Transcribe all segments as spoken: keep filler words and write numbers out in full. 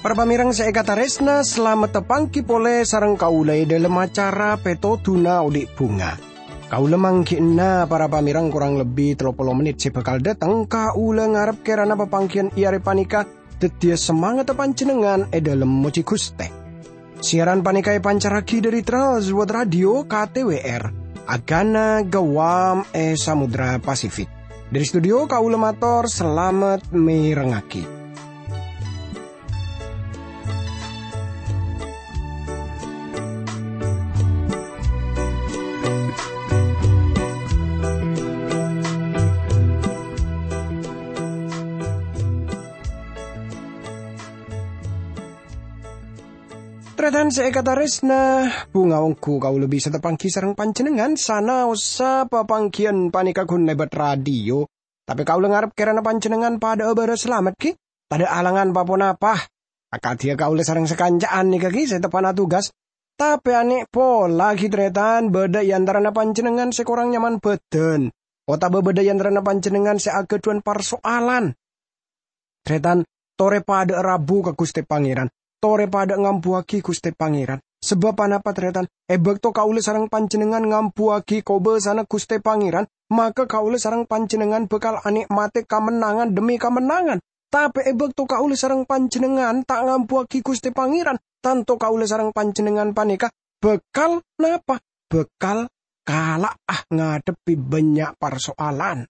Para pamèrèng sè èkatarèsna, salamet tapangghi polè sareng kaulâ è dhâlem acara Pètodhuna Odhi' Bhunga. Kaulâ mangghi'na para pamèrèng korang lebbi tello polo mennit sè bhâkal dhâteng, kaulâ ngarep kèrana papangghiyân è arè panèka dhâddhiyâ samangatta panjhennengngan è dhâlem mojhi Ghustè. Siaran panèka èpancarraghi dhâri Trans World Radio K T W R, Agana Guam è Samudra Pasifik. Dhâri studio kaulâ mator salamet mèrengngaghi. Tarètan sè èkatarèsna, bhunga ongghu kaulâ bisa tapangghi sareng panjhennengngan sanaossa papangghiyân panèka ghun lèbât radio. Tapè kaulâ ngarep kèrana panjhennengngan padhâ'â bârâs salamet, ghi? Tadâ' alangan pa-ponapa. Akadhiyâ kaulâ sareng sakanca'an nèka, ghi, sè teppa'na tugas. Tapè anè' pola, ghi, tarètan, bâdâ è antarana panjhennengngan sè korang nyaman bhâdhân, otabâ bâdâ è antarana panjhennengngan sè aghâdhuwân parso'alan. Tarètan, torè padhâ'â rabu ka Ghustè Pangèran. Torè padhâ'â ngambuwâghi Ghustè Pangèran. Sabâb ponapa, tarètan? È bâkto kaulâ sareng panjhennengngan ngambuwâghi kobâsana Ghustè Pangèran, maka kaulâ sareng panjhennengngan bhâkal anè'matè kamennangan dhemmi kamennangan. Tapè è bâkto kaulâ sareng panjhennengngan ta' ngambuwâghi Ghustè Pangèran, tanto kaulâ sareng panjhennengngan panèka bhâkal napa? Bhâkal kala'a ngadhebbhi bânnya' parso'alan.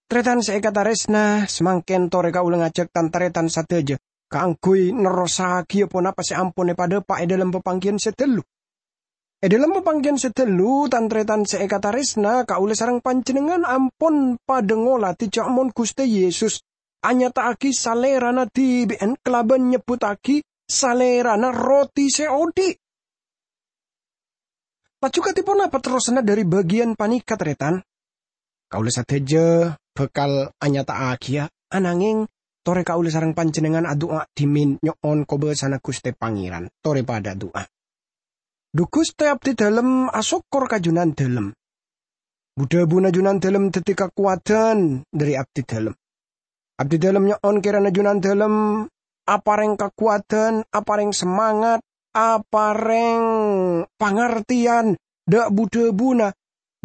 Tarètan sè èkatarèsna, samangkèn torè kaulâ ngajhâk tan-tarètan sadhâjâ kaangghuy nerrossaghiyâ ponapa sè ampon èpadhâpa' è dhâlem papangghiyân sè dhâllu. È dhâlem papangghiyân sè dhâllu, tan-tarètan sè èkatarèsna, kaulâ sareng panjhennengngan ampon padhâ ngolatè jhâ' mon Ghustè Yesus anyata'aghi Salèrana dhibi'ân kalabân nyebbhuttaghi Salèrana roti sè odhi'. Laju kadhi ponapa terrosanna dhâri bâgiyân panèka, tarètan? Kaulâ sadhâjâ bhâkal anyata'aghiyâ, ananghing torè kaulâ sareng panjhennengngan adu'a dhimèn nyo'on kobâsana Ghustè Pangèran. Torè padhâ adu'a. Dhu Ghustè, abdhi dhâlem asokkor ka Jhunandhâlem. Bu-dhâbuna Jhunandhâlem dhâddhi kakowadhân dhâri abdhi dhâlem. Abdhi dhâlem nyo'on kèrana Jhunandhâlem aparèng kakowadhân, aparèng samangat, aparèng pangartèyan dhâ' bu-dhâbuna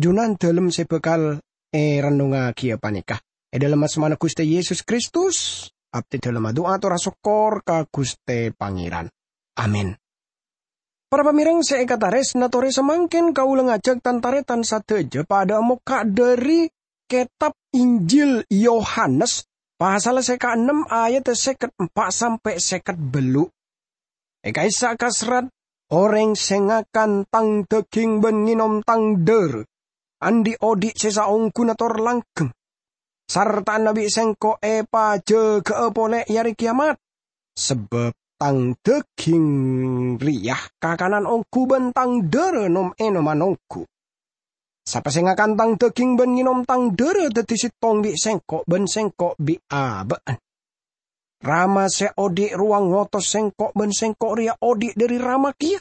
Jhunandhâlem sè bhâkal èrennongngaghi panèka. È dhâlem asmana Ghustè Yesus Kristus, abdhi dhâlem adu'a tor asokkor ka Ghustè Pangèran. Amin. Para pamèrèng sè èkatarèsna, torè samangkèn kaulâ ngajhâk tan-tarètan sadhâjâ padhâ mokka' dhâri Kètab Injil Yohanes, pasal sè kaennem, ayat sèket empa' sampè' sèket bâllu'. È ka'issa' kaserrat, "Orèng sè ngakan Tang dhâghing bân ngènom Tang dhârâ, andi' odhi' sè saongghuna tor langghâng, sarta'na bi' Sèngko' èpajâgâ'â polè è Arè Kèyamat. Sabâb Tang dhâghing rèya kakanan ongghu bân Tang dhârâ nom-ènoman ongghu. Sapa sè ngakan Tang dhâghing bân ngènom Tang dhârâ dhâddhi sèttong bi' Sèngko' bân Sèngko' bi' abâ'na. Rama sè odhi' rowa ngotos Sèngko' bân Sèngko' rèya odhi' dhâri Rama kèya.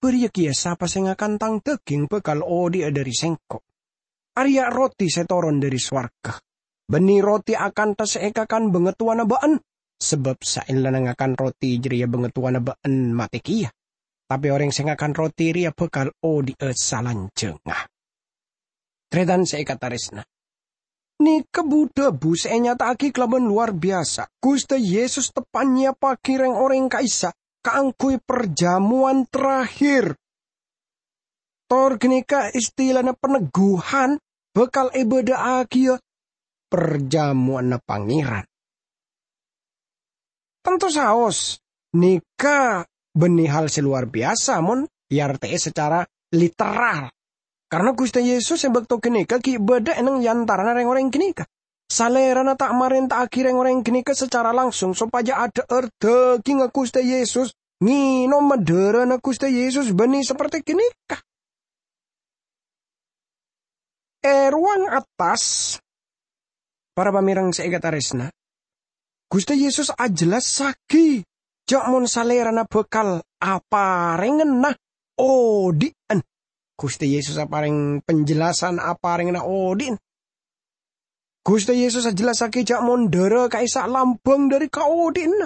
Bâriyâ kèya sapa sè ngakan Tang dhâghing bhâkal odhi'a dhâri Sèngko'. Arèya roti sè toron dhâri sowarghâ. Bânnè roti akantha sè èkakan bhângatowana bâ'na, sabâb saellana ngakan roti jârèya bhângatowana bâ'na matè kèya. Tapè orèng sè ngakan roti rèya bhâkal odhi'a salanjhângnga." Tarètan sè èkatarèsna, nèka bu-dhâbu sè ènyata'aghi kalabân lowar biyasa. Ghustè Yesus teppa'na nyèyappaghi rèng-orèng ka'issa' kaangghuy parjhâmowan terakhir. Tor ghânèka istilana panegguhan bhâkal èbâdâ'âghiyâ parjhâmowanna Pangèran. Tanto saos, nèka bânnè hal sè lowar biyasa mon èartè'è sacara literal. Karna Ghustè Yesus è bâkto ghânèka ghi' bâdâ è neng-, è antarana rèng-orèng ghânèka. Salèrana ta' marènta'aghi rèng-orèng ghânèka sacara langsung sopajâ adhâ'âr dhâghingnga Ghustè Yesus, ngènoma dhârâna Ghustè Yesus bânnè saperte ghânèka. È rowang attas, para pamèrèng sè èkatarèsna, Ghustè Yesus ajhellassaghi ja' mon Salèrana bhâkal aparèngana odi'ân. Ghustè Yesus aparèng panjelasan aparèngana odi'ân. Ghustè Yesus ajhellassaghi ja' mon dhârâ ka'issa' lambâng dhâri kaodi'ânna.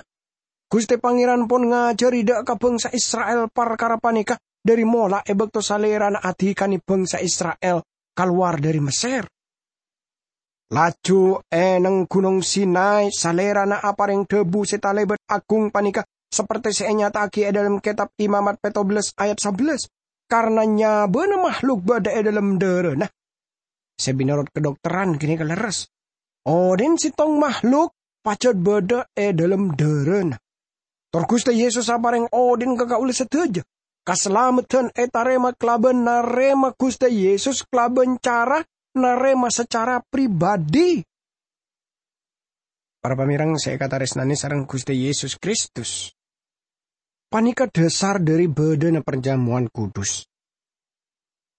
Ghustè Pangèran pon ngajhâri dâ' ka bhângsa Isra'il parkara panèka dhâri mola è bâkto Salèrana adhikanè bhângsa Isra'il kalowar dhâri Messèr. Laju è neng Ghunong Sinai, Salèrana aparèng dhâbu sè talèbât agung panèka, saperte sè ènyata'aghi è dhâlem Kètab Imamat pètto bellâs ayat sabellâs, "Karna nyabâna mahluk bâdâ è dhâlem dhârâna." Sè mènorot kadhokteran ghânèka lerres. Odi'ân sèttong mahluk pajhât bâdâ è dhâlem dhârâna. Tor Ghustè Yesus aparèng odi'ân ka kaulâ sadhâjâ. Kasalameddhân ètarèma kalabân narèma Ghustè Yesus kalabân cara narèma sacara pribadi. Para pamèreng sè èkatarèsnanè sareng Ghustè Yesus Kristus, panèka dhâsar dhâri bâdâna parjamowan kudus.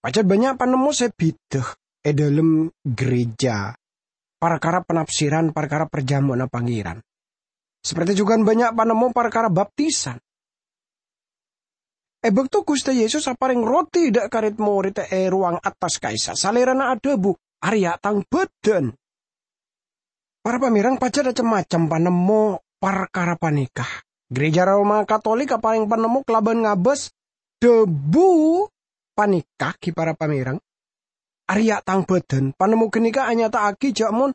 Pajhât bânnya' panemmo sè bhidhâ è dhâlem gereja parkara panafsiran parkara parjamowanna Pangèran. Saperte jhughân bânnya' panemmo parkara baptisan. È bâkto Ghustè Yesus aparèng roti dâ' ka red-morèdda è rowang attas ka'issa', Salèrana adhâbu, "Arèya' Tang bhâdhân." Para pamèreng, pajhât cem-macem panemmo parkara panèka. Gereja Roma Katolik aparèng panemmo kalabân ngabâs dhâbu panèka, ghi para pamèreng, "Arèya' Tang bhâdhân." Panemmo ghânèka anyata'aghi ja' mon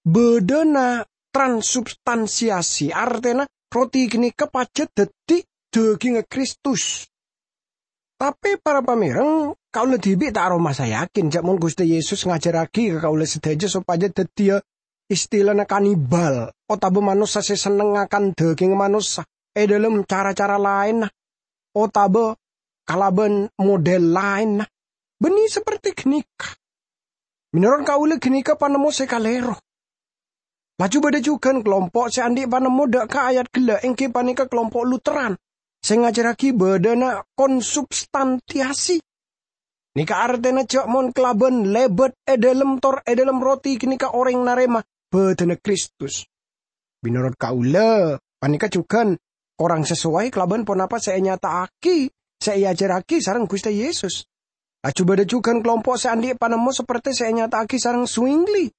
bâdâna transubstansiasi, artèna roti ghânèka pajhât dhâddhi dhâghingnga Kristus. Tapè, para pamèreng, kaulâ dhibi' ta' aromasa yakin ja' mon Ghustè Yesus ngajhârraghi ka kaulâ sadhâjâ sopajâ dhâddhiyâ istilana kanibal, otabâ manossa sè senneng ngakan dhâghingnga manossa è dhâlem cara-cara laènna, otabâ kalabân model laènna. Bânnè saperte ghânèka. Mènorot kaulâ ghânèka panemmo sè kalèro. Laju bâdâ jhughân kalompo' sè andi' panemmo dâ' ka ayat ghellâ', èngghi panèka kalompo' Lutheran, sè ngajhârraghi bâdâna konsubstantiasi. Nèka artèna ja' mon kalabân lèbât è dhâlem tor è dhâlem roti ghânèka orèng narèma bâdâna Kristus. Mènorot kaulâ, panèka jhughân korang sasowai kalabân ponapa sè ènyata'aghi, sè èajhârraghi sareng Ghustè Yesus. Laju bâdâ jhughân kalompo' sè andi' panemmo saperte sè ènyata'aghi sareng Zwingli.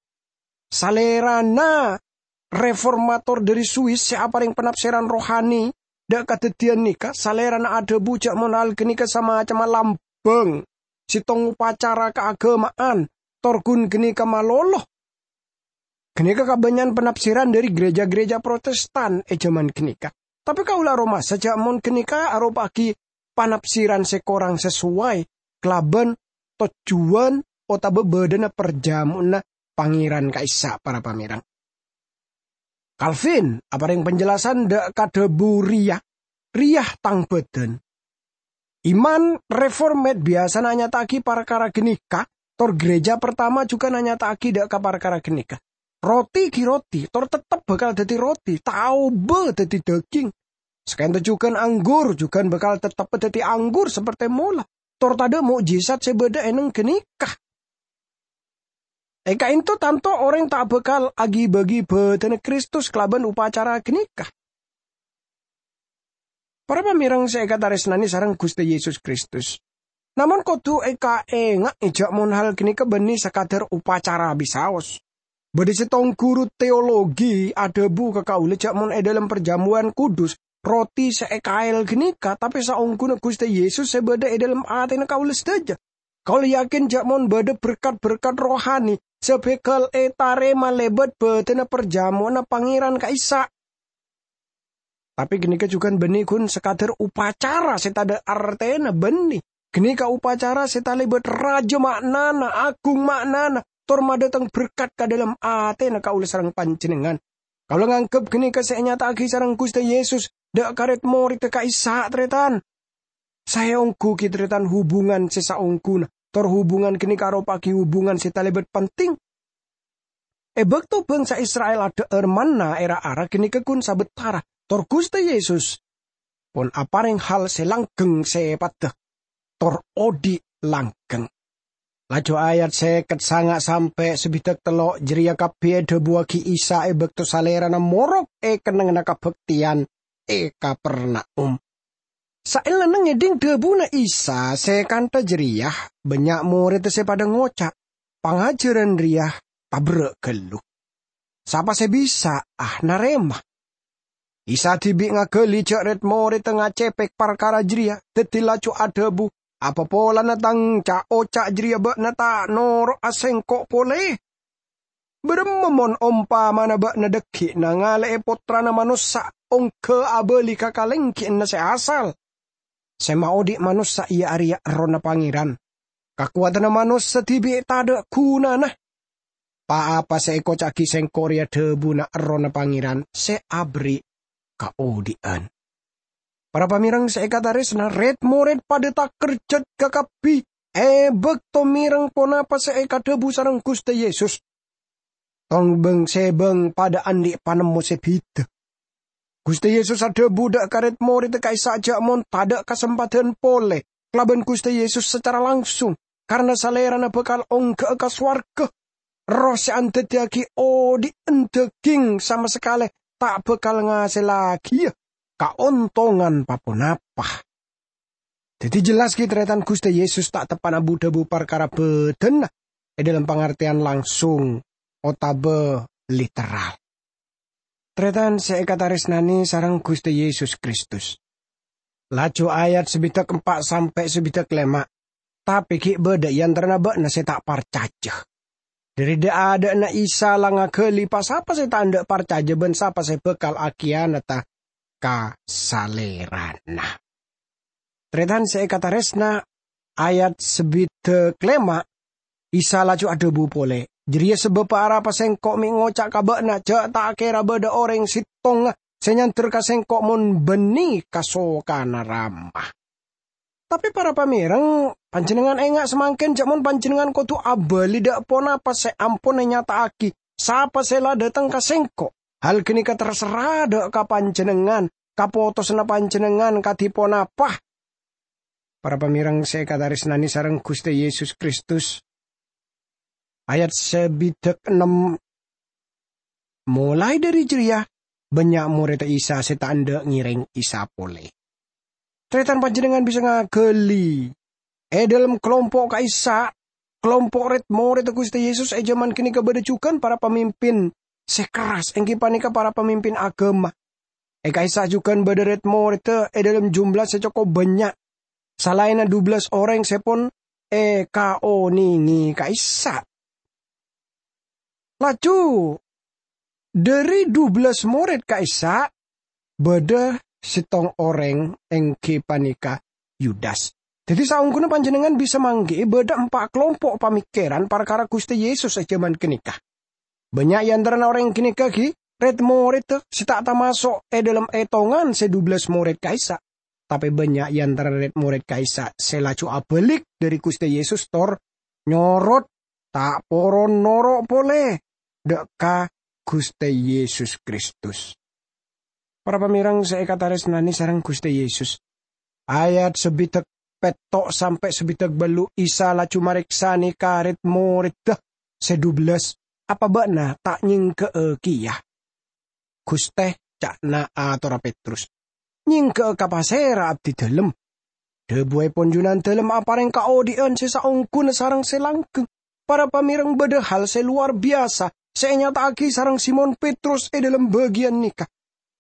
Salèrana reformator dhâri Swiss sè aparèng panafsiran rohani dâ' kadhâddhiyân nèka, salèrana adhâbu ja' mon hal ghânèka samacemma lambâng, sèttong opacara kaagâma'an, tor ghun ghânèka malolo. Ghânèka kabânnya'an panafsiran dhâri gereja-gereja Protestan è jhâman ghânèka. Tapè kaulâ aromasa ja' mon ghânèka aropa'aghi panafsiran sè korang sasowai kalabân tojjhuwân otabâ bâdâna parjamowanna Pangèran ka'issa', para pamèreng. Calvin aparèng panjelasan dâ' ka dhâbu rèya, "Rèya tang bâdân." Iman Reformed biyasana anyata'aghi parkara ghânèka, tor gereja partama jhughân anyata'aghi dâ' ka parkara ghânèka. Roti ghi' roti, tor tettep bhâkal dhâddhi roti, ta' aobâ dhâddhi dhâghing. Saka'ènto jhughân anggur jhughân bhâkal tettep dhâddhi anggur saperte mola, tor tadâ' mo'jizat sè bâdâ è neng ghânèka. È ka'ènto tanto orèng ta' bhâkal aghi-bâghi bâdânna Kristus kalabân opacara ghânèka. Para pamèreng sè èkatarèsnanè sareng Ghustè Yesus Kristus, namong kodhu èkaènga'è ja' mon hal ghânèka bânnè sakadhâr opacara bisaos. Bâdâ sèttong ghuru teologi adhâbu ka kaulâ ja' mon è dhâlem parjamowan kudus, roti sè èkaèl ghânèka, tapè saongghuna Ghustè Yesus sè bâdâ è dhâlem atèna kaulâ sadhâjâ. Kaulâ yakin ja' mon bâdâ berkat-berkat rohani sè bhâkal ètarèma lèbât bâdânna parjamowanna Pangèran ka'issa'. Tapè ghânèka jhughân bânnè ghun sakadhâr opacara sè tadâ' artèna bânnè. Ghânèka opacara sè talèbât rajâ ma'nana, agung ma'nana, tor madhâteng berkat ka dhâlem atèna kaulâ sareng panjhennengngan. Kaulâ nganggep ghânèka sè ènyata'aghi sareng Ghustè Yesus dâ' ka red-morèdda ka'issa', tarètan. Saè ongghu ghi' tarètan hubungan sè saongghuna, tor hubungan ghânèka aropa'aghi hubungan sè talèbât penting. È bâkto bhângsa Isra'il adhâ'âr manna è ra-ara ghânèka ghun sabettarra, tor Ghustè Yesus pon aparèng hal sè langghâng sèpatta, tor odhi' langghâng. Laju ayat sèket sanga' sampè' sabidhâk tello' jârèya kabbhi èdhâbuwaghi Isa è bâkto Salèrana morok è kennengnganna kabhâktèyan è Kapernaum. Saellana ngèdhing dhâbuna Isa sè kantha jârèya, bânnya' morèdda sè padâ ngoca', "Pangajhârân rèya taberrâ' ghâllu. Sapa sè bisa'a narèma?" Isa dhibi' ngaghâli jhâ' rèd-morèdda ngacèpèk parkara jârèya, dhâddhi laju adhâbu, "Apa polana Tang ca'-oca' jârèya bâ'na ta' noro'a Sèngko' polè? Bârâmma mon ompamana bâ'na dhâggi' nangalè'è Pottrana Manossa ongghâ abâli ka kalèngghina sè asal? Sè maodhi' manossa iyâ arèya Errohna Pangèran. Kakowadhânna manossa dhibi' tadâ' ghunana. Pa-apa sè èkoca'aghi Sèngko' rèya dhâbuna Errohna Pangèran sè aberri' kaodhi'ân." Para pamèreng sè èkatarèsna, rèd-morèd padâ takerjhât kakabbhi è bâkto mèreng ponapa sè èkadhâbu sareng Ghustè Yesus. Tong bâng-sèbâng padâ andi' panemmo sè bhidhâ. Ghustè Yesus adhâbu dâ' ka rèd-morèdda ka'issa' jhâ' mon tadâ' kasempadhân polè kalabân Ghustè Yesus sacara langsung, karna Salèrana bhâkal ongghâ'â ka sowarghâ. Erroh sè andhâddhiyâghi odhi'ân dhâghing sama sakalè ta' bhâkal ngasèllaghiyâ kaontongan pa-ponapa. Dhâddhi jelas ghi' tarètan Ghustè Yesus ta' teppa'na bu-dhâbu parkara bhâdhânna è dhâlem pangartèyan langsung otabâ literal. Tarètan sè èkatarèsnanè sareng Ghustè Yesus Kristus. Laju ayat sabidhâk empa' sampè' sabidhâk lèma', tapè ghi' bâdâ è antarana bâ'na sè ta' parcajâ. Dhâri dâ'-adâ'na Isa la ngaghâli pa-sapa sè ta' endâ' parcajâ bân sapa sè bhâkal akhiyanata ka Salèrana. Tarètan sè èkatarèsna, ayat sabidhâk lèma', Isa laju adhâbu polè, "Jârèya sabâbbhâ arapa Sèngko' mè' ngoca' ka bâ'na jhâ' ta' kèra bâdâ orèng settonga sè nyander ka Sèngko' mon bânnè kasokanna Rama." Tapè para pamèreng, panjhennengngan enga' samangkèn jhâ' mon panjhennengngan kodhu abâli dâ' ponapa sè ampon ènyata'aghi sapa sè la dâteng ka Sèngko'. Hal ghânèka terserra dâ' ka panjhennengngan, kapotosanna panjhennengngan kadhi ponapa. Para pamèreng sè èkatarèsnanè sareng Ghustè Yesus Kristus. Ayat sabidhâk ennem. Molaè dhâri jârèya, bânnya' morèdda Isa sè ta' endâ' ngèrèng Isa polè. Tarètan panjhennengngan bisa ngaghâli, è dhâlem kalompo' ka'issa', kalompo' rèd-morèdda Ghustè Yesus è jhâman ghânèka bâdâ jhughân para pamimpin sè kerras, èngghi panèka para pamimpin aghâma. È ka'issa' jhughân bâdâ rèd-morèdda è dhâlem jumlah sè cokop bânnya', salaènna dubellâs orèng sè pon èkaonèngè ka'issa'. Laju, dhâri dubellâs morèd ka'issa', bâdâ settong orèng, èngghi panèka Yudas. Dhâddhi, saongghuna panjhennengngan bisa mangghi'i bâdâ empa' kalompo' pamèkkèran parkara Ghustè Yesus è jhâman ghânèka. Bânnya' è antarana orèng ghânèka ghi' rèd-morèdda sè ta' tamaso' è dhâlem ètongan sè dubellâs morèd ka'issa'. Tapè bânnya' è antarana rèd-morèd ka'issa' sè laju abâlik dhâri Ghustè Yesus tor nyorot, ta' poron noro' polè dâ' ka Ghustè Yesus Kristus. Para pamèreng sè èkatarèsnanè sareng Ghustè Yesus, ayat sabidhâk pètto' sampè' sabidhâk bâllu' Isa laju marèksanè ka rèd-morèdda sè dubellâs, "Apa bâ'na ta' nyèngghâ'â kèya?" "Ghustè," ca'na atorra Petrus, "nyèngghâ'â ka pasèra abdhi dhâlem?" Dhâbuèpon Junandâlem aparèng kaodhi'ân sè saongghuna sareng sè langghâng. Para pamèreng, bâdâ hal sè lowar biyasa sè ènyata'aghi sareng Simon Petrus è dhâlem bâgiyân nèka.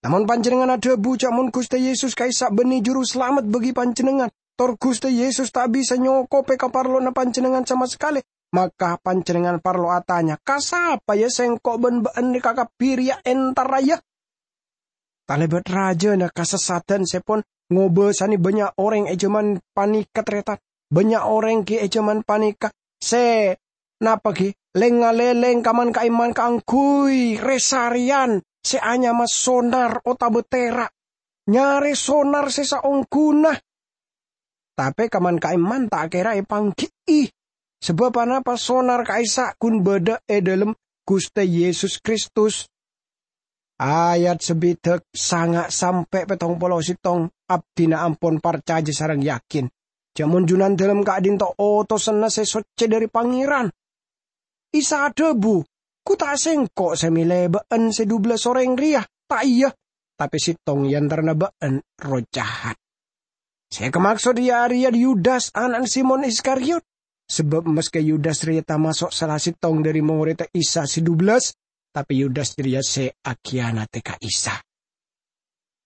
Namong panjhennengngan adhâbu jhâ' mon Ghustè Yesus ka'issa' bânnè Jurusalamet bâgi panjhennengngan, tor Ghustè Yesus ta' bisa nyokobhi kaparlowanna panjhennengngan sama sakalè, maka panjhennengngan parlo atanya, "Ka sapa, ya, sèngko' bân bâ'na kabbhi rèya entarra, ya?" Talèbât rajâna kasassatân sè pon ngobâsanè bânnya' orèng è jhâman panèka, tarètan. Bânnya' orèng ghi' è jhâman panèka sè napa ghi' lèng-ngalèlèng kaman-ka'imman kaangghuy rè-sarèyan sè anyama sonar otabâ tèra', nyarè sonar sè saongghuna. Tapè kaman-ka'imman ta' kèra èpangghi'i, sabâb anapa sonar ka'issa' ghun bâdâ è dhâlem Ghustè Yesus Kristus. Ayat sabidhâk sanga' sampè' pèttong polo sèttong, abdhina ampon parcajâ sareng yakin jhâ' mon Junandâlem ka'dhinto' otosanna sè soccè dhâri Pangèran. Isa adhâbu, "Ghu ta' sèngko' sè mèlè bâ'na sè dubellâs orèng rèya, ta' iyâ? tapè sèttong è antarana bâ'na erroh jahat. Sè èkamaksod iyâ arèya Yudas, ana'na Simon Iskariot. Sabâb maskè Yudas rèya tamaso' sala sèttong dhâri morèdda Isa sè dubellâs, tapè Yudas jârèya sè akhiyanadhi ka Isa.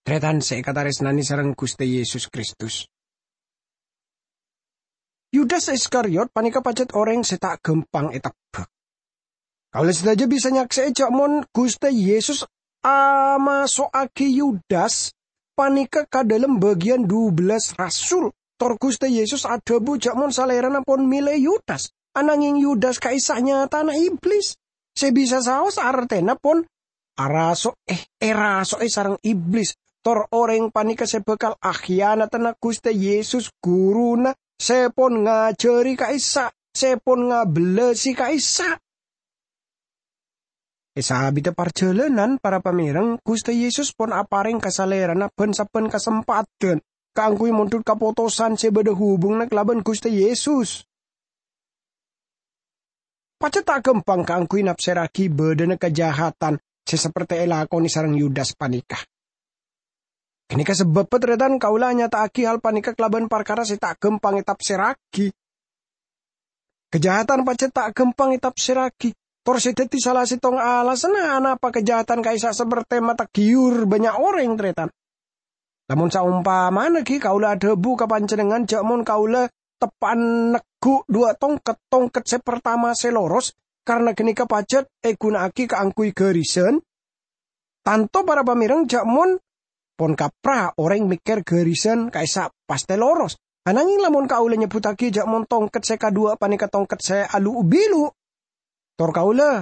Tarètan sè èkatarèsnanè sareng Ghustè Yesus Kristus. Yudas Iskariot panèka pajhât orèng sè ta' ghâmpang ètebbhâk. Kaulâ sadhâjâ bisa nyaksè'è jhâ' mon Ghustè Yesus amaso'aghi Yudas panèka ka dhâlem bâgiyân dubellâs rasul. Tor Ghustè Yesus adhâbu jhâ' mon Salèrana pon mèlè Yudas, ananghing Yudas ka'issa' nyatana Iblis. Sè bisa saos artèna pon araso'è, èraso'è sareng Iblis. Tor orèng panèka sè bhâkal akhiyanadhâna Ghustè Yesus, Ghuruna, sè pon ngajhâri ka'issa', sè pon ngabellasi ka'issa'. È saabidda parjhâlânan, para pamèreng, Ghustè Yesus pon aparèng ka Salèrana bân-sabbhân kasempadhân kaangghuy mondhut kapotosan sè bâdâ hubunganna kalabân Ghustè Yesus. Pajhât ta' ghâmpang kaangghuy napsèrraghi bâdâna kajahadan sè sapertè èlakonè sareng Yudas panèka. Ghânèka sabâbbhâ, tarètan, kaulâ anyata'aghi hal panèka kalabân parkara sè ta' ghâmpang ètapsèrraghi. Kajahadan pajhât ta' ghâmpang ètapsèrraghi, tor sè dhâddhi sala sèttong alasanna anapa kajahadan ka'issa' sapertè matagghiyur bânnya' orèng, tarètan. Lamon saompamana ghi kaulâ adhâbu ka panjhennengngan jhâ' mon kaulâ teppa'an neggu' dhuwâ' tongket, tongket sè partama sè loros, karana ghânèka pajhât èghuna'aghi kaangghuy ghârisan, tanto para pamèreng jhâ' mon pon kapra orèng mèkkèr ghârisan ka'issa' pastè loros. Ananghing lamon kaulâ nyebbhuttaghi jhâ' mon tongket sè kadhuwâ' panèka tongket sè alu'-bilu', tor kaulâ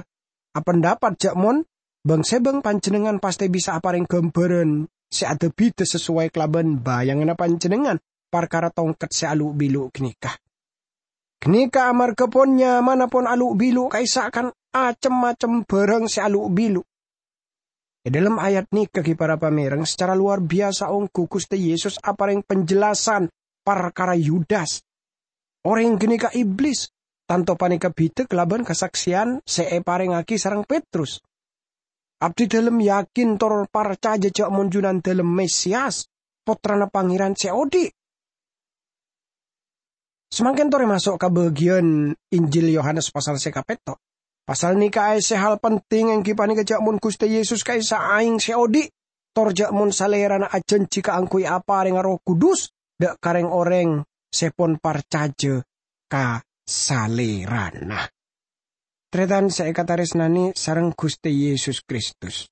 apandapat jhâ' mon bâng-sèbâng panjhennengngan pastè bisa aparèng ghâmbhârân sè ada-bhidhâ sasowai kalabân bayanganna panjhennengngan parkara tongket sè alu'-bilu' ghânèka. Ghânèka amarghâ pon nyamana pon alu'-bilu' ka'issa' kan acem-macem bhârâng sè alu'-bilu'. È dhâlem ayat nèka ghi para pamèreng, sacara lowar biyasa ongghu Ghustè Yesus aparèng panjhellasan parkara Yudas. Orèng ghânèka Iblis, tanto panèka bhidhâ kalabân kasaksèyan sè èparèngaghi sareng Petrus. Abdidhâlem yakin tor parcajâ jhâ' mon Junandhâlem Mesias, Pottrana Pangèran sè odi'. Samangkèn torè maso' ka bâgiyân Injil Yohanes pasal sè kapètto'. Pasal nèka aèssè hal penting èngghi panèka jhâ' mon Ghustè Yesus ka'issa' aèng sè odi', tor jhâ' mon Salèrana ajhânjhi kaangghuy aparènga Erroh Kudus dhâ' ka rèng-orèng sè pon parcajâ ka Salèrana. Tarètan sè èkatarèsnanè sareng Ghustè Yesus Kristus.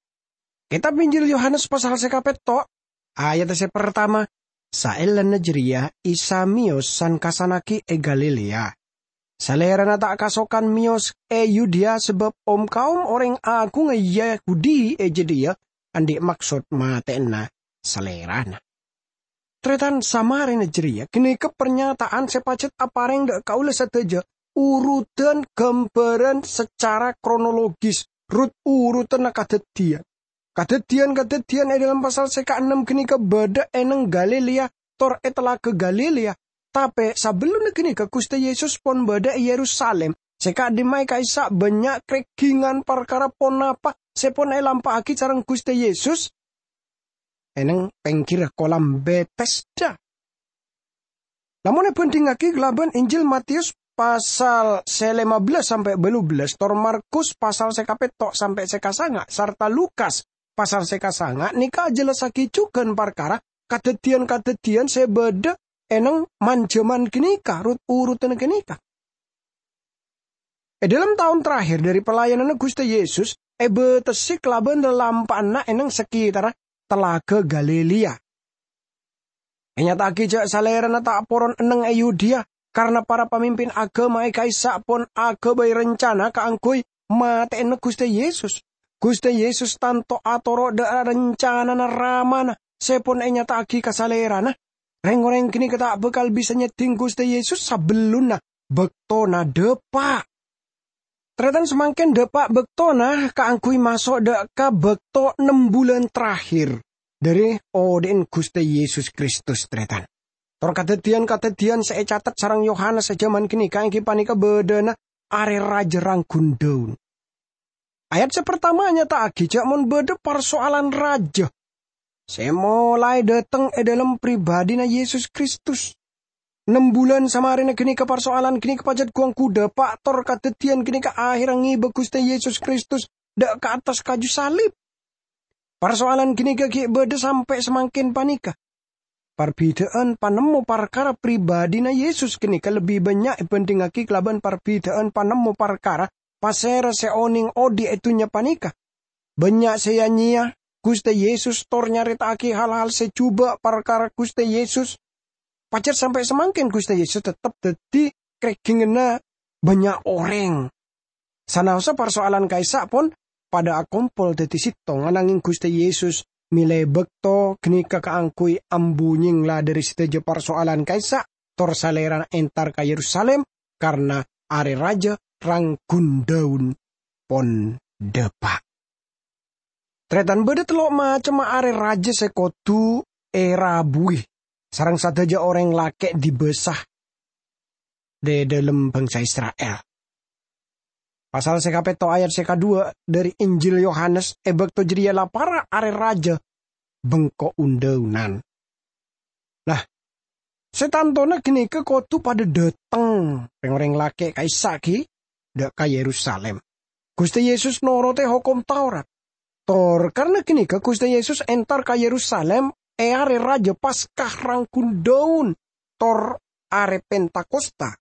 Kètab Injil Yohanes pasal sè kapètto', ayat sè partama, "Saellana jârèya Isa mèyos san-kassannaghi è Galilea. Salèrana ta' kasokan mèyos è Yudea sabâb om-kaom orèng aghungnga Yahudi è jâdiyâ andi' maksod matè'ana Salèrana." Tarètan, samarèna jârèya, ghânèka parnyata'an sè pajhât aparèng dhâ' kaulâ sadhâjâ, urutan ghâmbhârân sacara kronologis, rut-urutanna kadhâddhiyân. Kadhâddhiyân-kadhâddhiyân è dhâlem pasal sè kaennem ghânèka bâdâ è neng Galilea, tor è Talaga Galilea. Tapè sabellunna ghânèka Ghustè Yesus pon bâdâ è Yerusalim, sè ka'dimma'a ka'issa' bânnya' krèghingan parkara ponapa sè pon èlampa'aghi sareng Ghustè Yesus è neng pèngghirra Kolam Betesda. Lamon èbhândhingngaghi kalabân Injil Matius pasal sè lèma bellâs sampè' bâllu bellâs, tor Markus pasal sè kapètto' sampè' sè kasanga', sarta Lukas pasal sè kasanga', nèka ajhellassaghi jhughân parkara kadhâddhiyân-kadhâddhiyân sè bâdâ è neng man-jhâman ghânèka, rut-urutanna ghânèka. È dhâlem taon terakhir dhâri pelayananna Ghustè Yesus èbâtessè kalabân lalampa'anna è neng sakètarra Talaga Galilea. Ènyata'aghi jhâ' Salèrana ta' poron enneng è Yudea, karana para pamimpin aghâma è ka'issa' pon aghâbây rencana kaangghuy matè'ana Ghustè Yesus. Ghustè Yesus tanto atoro' dhâ' rencanana Ramana sè pon ènyata'aghi ka Salèrana. Rèng-orèng ghânèka ta' bhâkal bisa nyeddhing Ghustè Yesus sabellunna bâktona dâpa'. Tarètan, samangkèn dâpa' bâktona kaangghuy maso' dhâ' ka bâkto nem bulân terakhir dhâri odhi'na Ghustè Yesus Kristus, tarètan. Tor kadhâddhiyân-kadhâddhiyân sè ècatet sareng Yohanes è jhâman ghânèka èngghi panèka bâdâna Arè Rajâ Rangghun Daun. Ayat sè partama nyata'aghi jhâ' mon bâdâ parsoalan rajâ. sè molaè dâteng è dâlem pribadhina Yesus Kristus. Nem bulân samarèna ghânèka parsoalan ghânèka pajhât gu-ongghu dâpa' tor kadhâddhiyân ghânèka aherra ngèbâ Ghustè Yesus Kristus dâ' ka attas kaju salib. Parsoalan ghânèka ghi' bâdâ sampè' samangkèn panèka. Parbidhâ'ân panemmo parkara pribadhina Yesus ghânèka lebbi bânnya' èbhândhingngaghi kalabân parbidhâ'ân panemmo parkara pasèra sè onèng odi' è dhunnya panèka. Bânnya' sè ya-nyeya Ghustè Yesus tor nyarèta'aghi hal-hal sè jhubâ' parkara Ghustè Yesus. Pajhât sampè' samangkèn Ghustè Yesus teptep dhâddhi krèghingngânna bânnya' orèng. Sanaossa parsoalan ka'issa' pon padâ akompol dhâddhi sèttong, ananghing Ghustè Yesus mèlè bâkto ghânèka kaangghuy ambu nyèngla dhâri sadhâjâ parsoalan ka'issa', tor Salèrana entar ka Yerusalim, karna Arè Rajâ Rang-Ghundhâun pon dâpa'. Tarètan, bâdâ tello' macemma arè rajâ sè kodhu èrabuwi sareng sadhâjâ orèng lakè' dibâsa è dâlem bangsa Isra'il. Pasal sè kapètto ayat sè kadhuwâ' dhâri Injil Yohanes, è bâkto jârèya la para' arè rajâ bengko un-dhâunan. Nah, sè tantona ghânèka kodhu padâ dâteng rèng-orèng lakè' ka'issa' ghi' dâ' ka Yerusalim. Ghustè Yesus norote hokom Taurat. Tor karna ghânèka Ghustè Yesus entar ka Yerusalim è arè rajâ Paskah Rang-Ghundhâun tor arè Pentakosta.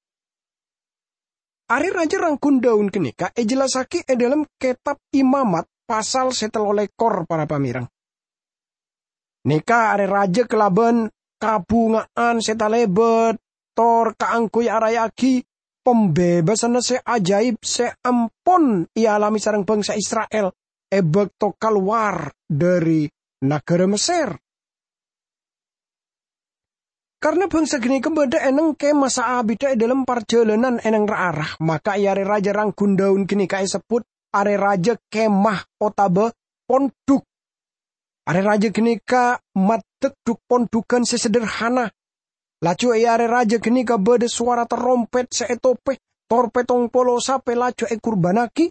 Arè rajâ Rang-Ghundhâun ghânèka èjellassaghi è dâlem Kètab Imamat pasal sè tello lèkor, para pamèreng. Nèka arè rajâ kalabân kabhunga'an sè talèbât tor kaangghuy araya'aghi pambèbâsanna sè ajaib sè ampon èalamè sareng bangsa Isra'il è bâkto kalowar dhâri naghârâ Messer. Karna bangsa ghânèka bâdâ è nèng kemah saabiddhâ è dâlem parjhâlânan è nèng ra-ara, maka è arè rajâ Rang-Ghundhâun ghânèka èsebbhut arè rajâ kemah otabâ pondhuk. Arè rajâ ghânèka maddhek dhuk-pondhughân sè sederhana. Laju è arè rajâ ghânèka bâdâ sowara tarompèt sè ètopè, tor pèttong polo sapè laju èkurbânnaghi.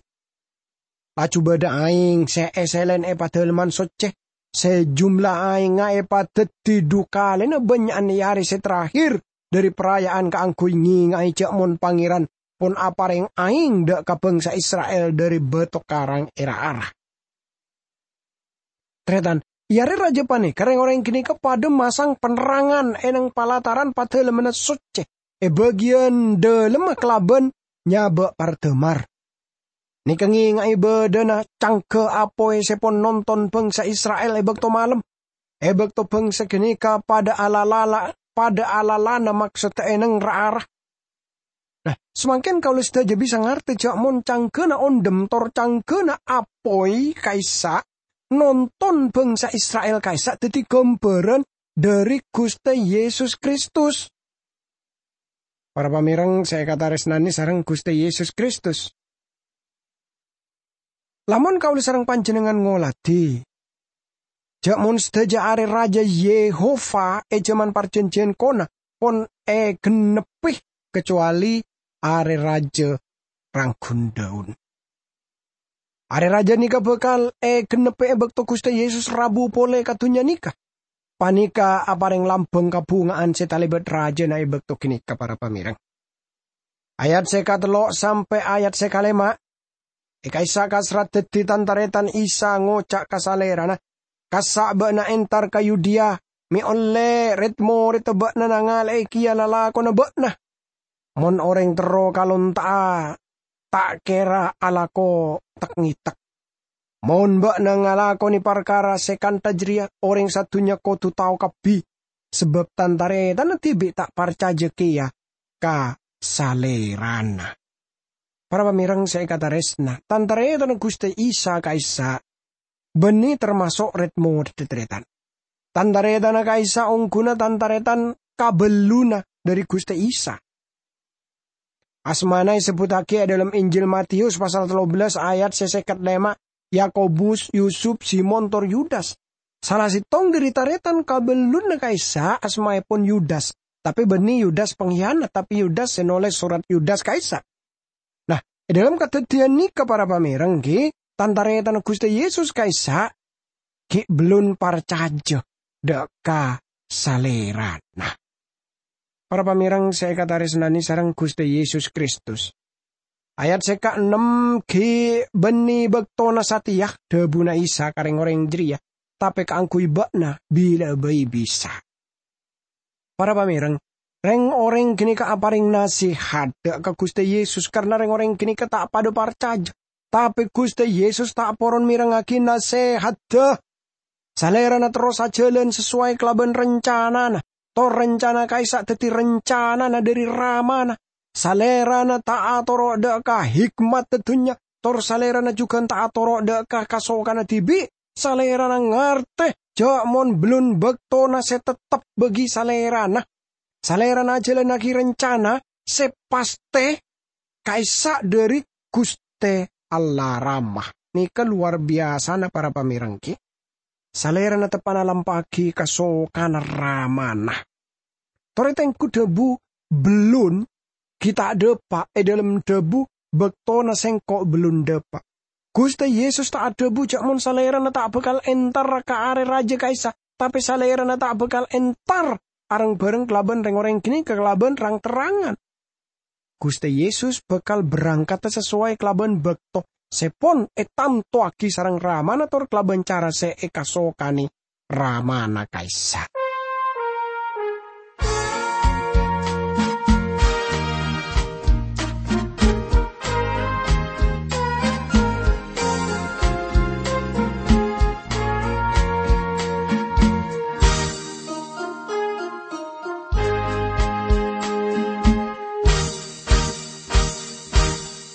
Laju bâdâ aèng sè èsèlèn è Padâlemman Soccè, sè jumla aèngnga èpadhâddhi dhu kalèna bânnya'an è arè sè terakhir dhâri paraya'an kaangghuy ngènga'è jâ' mon Pangèran pon aparèng aèng dâ' ka bangsa Isra'il dhâri bâto karang è ra-ara. Tarètan, è arè rajâ panèka rèng-orèng ghânèka padâ masang panrangan è nèng palataran Padâlemmanna Soccè è bâgiyân dâlemma kalabân nyabâ' pardâmar. Nèka ngènga'è bâdâna cangghâ apoy sè pon nonton bangsa Isra'il è bâkto malem, è bâkto bangsa ghânèka padâ alalala-, padâ alalana maksodda è nèng ra-ara. Nah, samangkèn kaulâ sadhâjâ bisa ngartè jâ' mon cangghâna ondhem tor cangghâna apoy ka'issa' nonton bangsa Isra'il ka'issa' dhâddhi ghâmbhârân dhâri Ghustè Yesus Kristus. Para pamèreng sè èkatarèsnanè sareng Ghustè Yesus Kristus. Lamon kaulâ sareng panjhennengngan ngoladhi, jâ' mon sadhâjâ arè rajâ Yehova è jhâman parjhânjhiyân kona pon ègennebbhi, kacowalè arè rajâ Rang-Ghundhâun. Arè rajâ nèka bhâkal ègennebbhi è bâkto Ghustè Yesus rabu polè ka dhunnya nèka. Panèka aparèng lambâng kabhunga'an sè talèbât rajâna è bâkto ghânèka, para pamèreng. Ayat sè katello' sampè' ayat sè kalèma', è ka'issa' kasrat dhâddhi tan-tarètan Isa ngoca' ka Salèrana, "Kassa' bâ'na entar ka Yudea, mè' ollè red-moredda bâ'na nangalè'è kèya lalakonna bâ'na. Mon orèng terro kalonta'a, ta' kèra alako tek-ngètek. Mon bâ'na ngalakonè parkara sè kantha jârèya, orèng sadhunnya kodhu tao kabbhi, sabâb tan-tarètanna dhibi' ta' parcajâ kèya ka Salèrana." Para pamèreng sè èkatarèsna, tan-tarètanna Ghustè Isa ka'issa' bânnè tamaso' red-moredda, tarètan. Tan-tarètanna ka'issa' ongghuna tan-tarètan kabellunna dhâri Ghustè Isa. Asmana èsebbhuttaghi è dâlem Injil Matius pasal tello bellas ayat sè sèket lèma', Yakobus, Yusup, Simon, tor Yudas. Sala sèttong dhâri tarètan kabellunna ka'issa' asmaèpon Yudas, tapè bânnè Yudas panghiyanat, tapè Yudas sè nolès sorat Yudas ka'issa'. Nah, è dâlem kadhâddhiyân nèka, para pamèreng, ghi, tan-tarètanna Ghustè Yesus ka'issa' ghi' bellun parcajâ dâ' ka Salèrana. Para pamèreng sè èkatarèsnanè sareng Ghustè Yesus Kristus, ayat sè kaennem ghi' bânnè bâktona satèya dhâbuna Isa ka rèng-orèng jârèya, tapè kaangghuy bâ'na bilâ bhâi bisa. Para pamèreng, rèng-orèng ghânèka aparèng nasèhadhâ ka Ghustè Yesus karna rèng-orèng ghânèka ta' padâ parcajâ. Tapè Ghustè Yesus ta' poron mèrengngaghi nasèhadhâ. Salèrana terros ajhâlân sasoway kalabân rancanana, tor rancana ka'issa' dhâddhi rancanana dhâri Ramana. Salèrana ta' atoro' dâ' ka hikmatta dhunnya, tor Salèrana jhughân ta' atoro' dâ' ka kasokanna dhibi'. Salèrana ngartè jâ' mon bellun bâktona sè tettep bagi Salèrana. Salèrana ajhâlânnaghi rancana sè pastè ka'issa' dhâri Ghustè Allah Rama. Nèka lowar biyasana, para pamèreng, ghi. Salèrana teppa'na lampa'aghi kasokanna Ramana. Torè tengghu dhâbu bellun ghi' ta' dâpa' è dhâlem dhâbu bâktona sèngko' bellun dâpa'. Ghustè Yesus ta' adhâbu jâ' mon Salèrana ta' bhâkal entar ka arè rajâ ka'issa', tapè Salèrana ta' bhâkal entar areng-bhâreng kalabân rèng-orèng ghânèka kalabân rang-terrangan. Ghustè Yesus bhâkal berangkadhâ sasoway kalabân bâkto sè pon ètantowaghi sareng Ramana tor kalabân cara sè èkasokanè Ramana ka'issa'.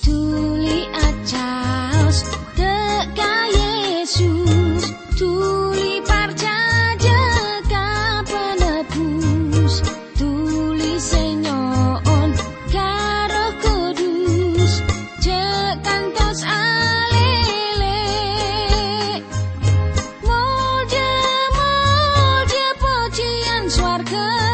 Dhuli acaos dâ' ka Yesus, dhuli parcajâ ka Penebus, dhuli sè nyo'on ka Erroh Kudus, jâ' kantos alèlè. Molja, molja, pojiyân sowarghâ.